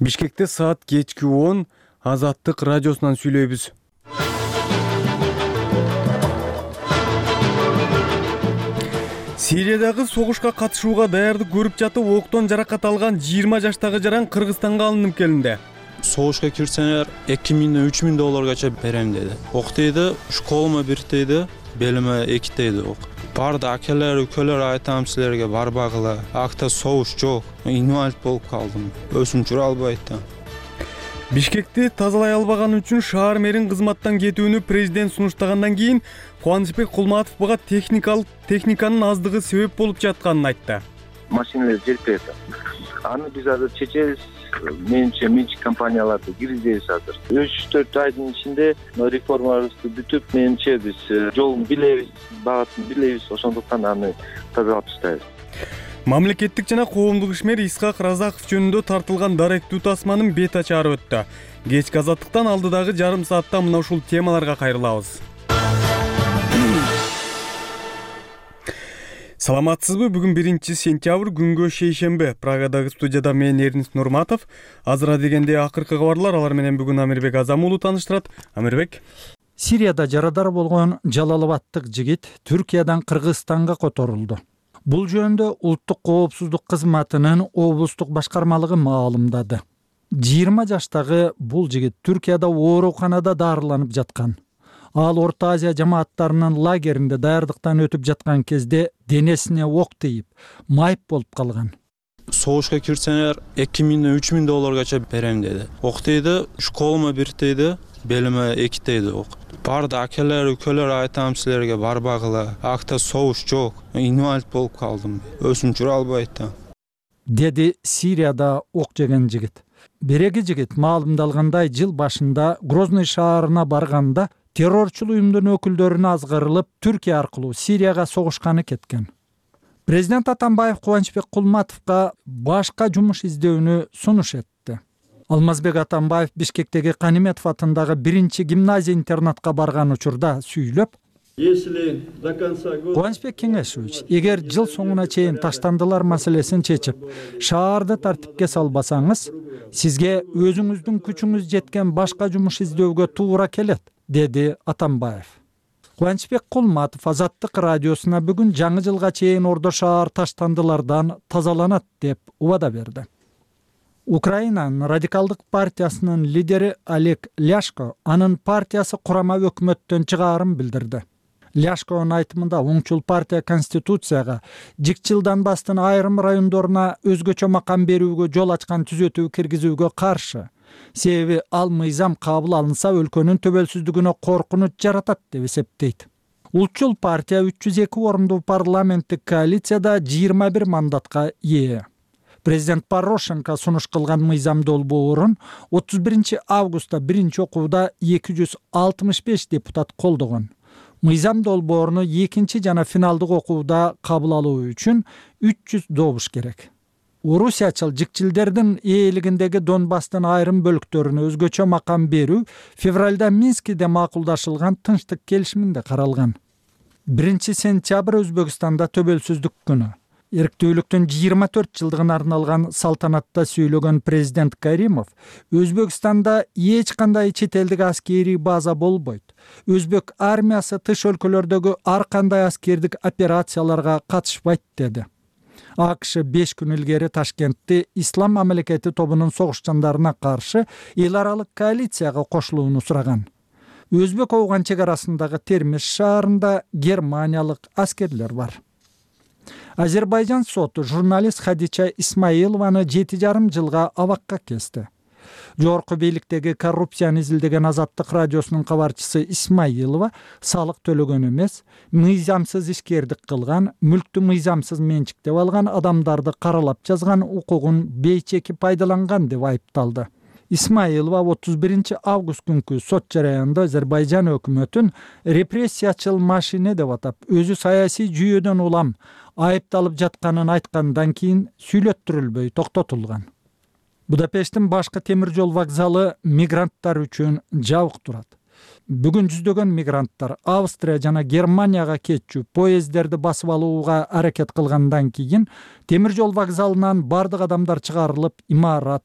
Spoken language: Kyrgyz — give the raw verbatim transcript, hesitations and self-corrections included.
Бишкекте саат кечки он Азаттык радиосунан сүйлөйбүз. Сириядагы согушка катышууга даярдык көрүп жатып, октон жаракат алган жыйырма жаштагы жаран Кыргызстанга алынып келинди. Согушка кирсеңер эки миңден үч миң долларга берем деди. Ок дейди, школума бир дейди, белиме эки дейди ок. Барды акелер, өлкөлөр айтам силерге барбагыла. Акта согуш жок. Инвалид болуп калдым. Өзүм жүрө албайт да. Бишкекти тазалай албаганы үчүн шаар мэрин кызматтан кетүүнү президент сунуштагандан кийин Кубанычбек Кулматов буга техникалык техниканын аздыгы себеп болуп жатканын айтты. Машиналар жетпейт. Аны биз азыр чечебиз. Менимче менчик компанияларды киргизебиз азыр. үч төрт айдын ичинде реформабызды бүтүп, менимче биз жолун билебиз, багатын билебиз, ошондуктан аны тазалап таштайбыз. Мамлекеттик жана коомдук ишмер Исхак Разаков жөнүндө тартылган даректүү тасманын бет ачары өттү. Кечки Азаттыктан алдыдагы жарым саатта мына ушул темаларга кайрылабыз. Саламатсызбы? Бүгүн биринчи сентябрь, күнгө шейшемби. Прагадагы студияда мен Эрнис Нурматов. Азыра дегенде акыркы кабарлар, алар менен бүгүн Амирбек Азам уулу тааныштырат. Амирбек. Сирияда жарадар болгон Жалалабадтык жигит Түркиядан Кыргызстанга которулду. Бул жөнүндө Улуттук коопсуздук кызматынын облустук башкармалыгы маалымдады. жыйырма жаштагы бул жигит Түркияда ооруканада дарыланып жаткан. Ал Орто Азия жамааттарынын лагеринде даярдыктан өтүп жаткан кезде денесине ок тийип, майып болуп калган. Согушка кирсеңер эки миңден үч миң долларга берем деди. Ок дейди, школума бир дейди, белиме эки дейди ок. Барды акелер, өлкөлөр айтам силерге барбагыла. Акта согуш жок. Инвалид болуп калдым. Өзүм жүрө албайт да. Деди Сирияда ок жеген жигит. Береги жигит маалымдалгандай жыл башында Грозный шаарына барганда террорчул уюмдун өкүлдөрүнө азгырылып, Түркия аркылуу Сирияга согушканы кеткен. Президент Атамбаев Кубанычбек Кулматовго башка жумуш издөөнү сунуш этти. Алмазбек Атамбаев Бишкектеги Каниметов атындагы биринчи гимназия интернатка барган учурда сүйлөп, Кубанычбек Кеңешевич, эгер жыл соңуна чейин таштандылар маселесин чечип, шаарды тартипке салбасаңыз, сизге өзүңүздүн күчүңүз жеткен башка жумуш издөөгө туура келет, деди Атамбаев. Кубанычбек Кулматов Азаттык радиосуна бүгүн жаңы жылга чейин Ордо шаар таштандылардан тазаланат деп убада берди. Украинанын радикалдык партиясынын лидери Олег Ляшко анын партиясы курама өкмөттөн чыгаарын билдирди. Ляшконун айтымында оңчул партия Конституцияга жик жылдан бастын айрым райондоруна өзгөчө макам берүүгө жол ачкан түзөтүү киргизүүгө каршы. Себеби ал мыйзам кабыл алынса өлкөнүн төбөлсүздүгүнө коркунуч жаратат деп эсептейт. Улчул партия үч жүз эки орунду парламенттик коалицияда жыйырма бир мандатка ээ. Президент Порошенко сунуш кылган мыйзам долбоорун отуз биринчи августта биринчи окууда эки жүз алтымыш беш депутат колдогон. Мыйзам долбооруну экинчи жана финалдык окууда кабыл алуу үчүн үч жүз добуш керек. Орусиячыл жикчилдердин ээлигиндеги Донбасстын айрым бөлүктөрүнө өзгөчө макам берүү февралда Минскиде макулдашылган тынчтык келишиминде каралган. биринчи сентябрь Өзбекстанда төбөлсүздүк күнү. Эрктүүлүктүн жыйырма төрт жылдыгына арналган салтанатта сүйлөгөн президент Каримов, Өзбекстанда эч кандай чет элдик аскерий база болбойт. Өзбек армиясы тыш өлкөлөрдөгү ар кандай аскердик операцияларга катышпайт деди. АКШ беш күн илгери Ташкентте Ислам мамлекети тобунун согушчандарына каршы эл аралык коалицияга кошулууну сураган. Өзбек Ооган чек арасындагы Термеш шаарында германиялык аскерлер бар. Азербайжан соту журналист Хадича Исмаилованы жети жарым жылга абакка кести. Жогорку бийликтеги коррупцияны изилдеген Азаттык радиосунун кабарчысы Исмаилова салык төлөгөн эмес, мыйзамсыз ишкердик кылган, мүлктү мыйзамсыз менчиктеп алган, адамдарды каралап жазган, укугун бейчеки пайдаланган деп айыпталды. Исмаилова отуз биринчи август күнкү сот жараянында Азербайжан өкмөтүн репрессиячыл машине деп атап, өзү саясий жүйөдөн улам айыпталып жатканын айткандан кийин сүйлөттүрүлбөй токтотулган. Будапешттин башкы темир жол вокзалы мигранттар үчүн жабык турат. Бүгүн жүздөгөн мигранттар Австрия жана Германияга кетчү поездерди басып алууга аракет кылгандан кийин темир жол вокзалынан бардык адамдар чыгарылып, имарат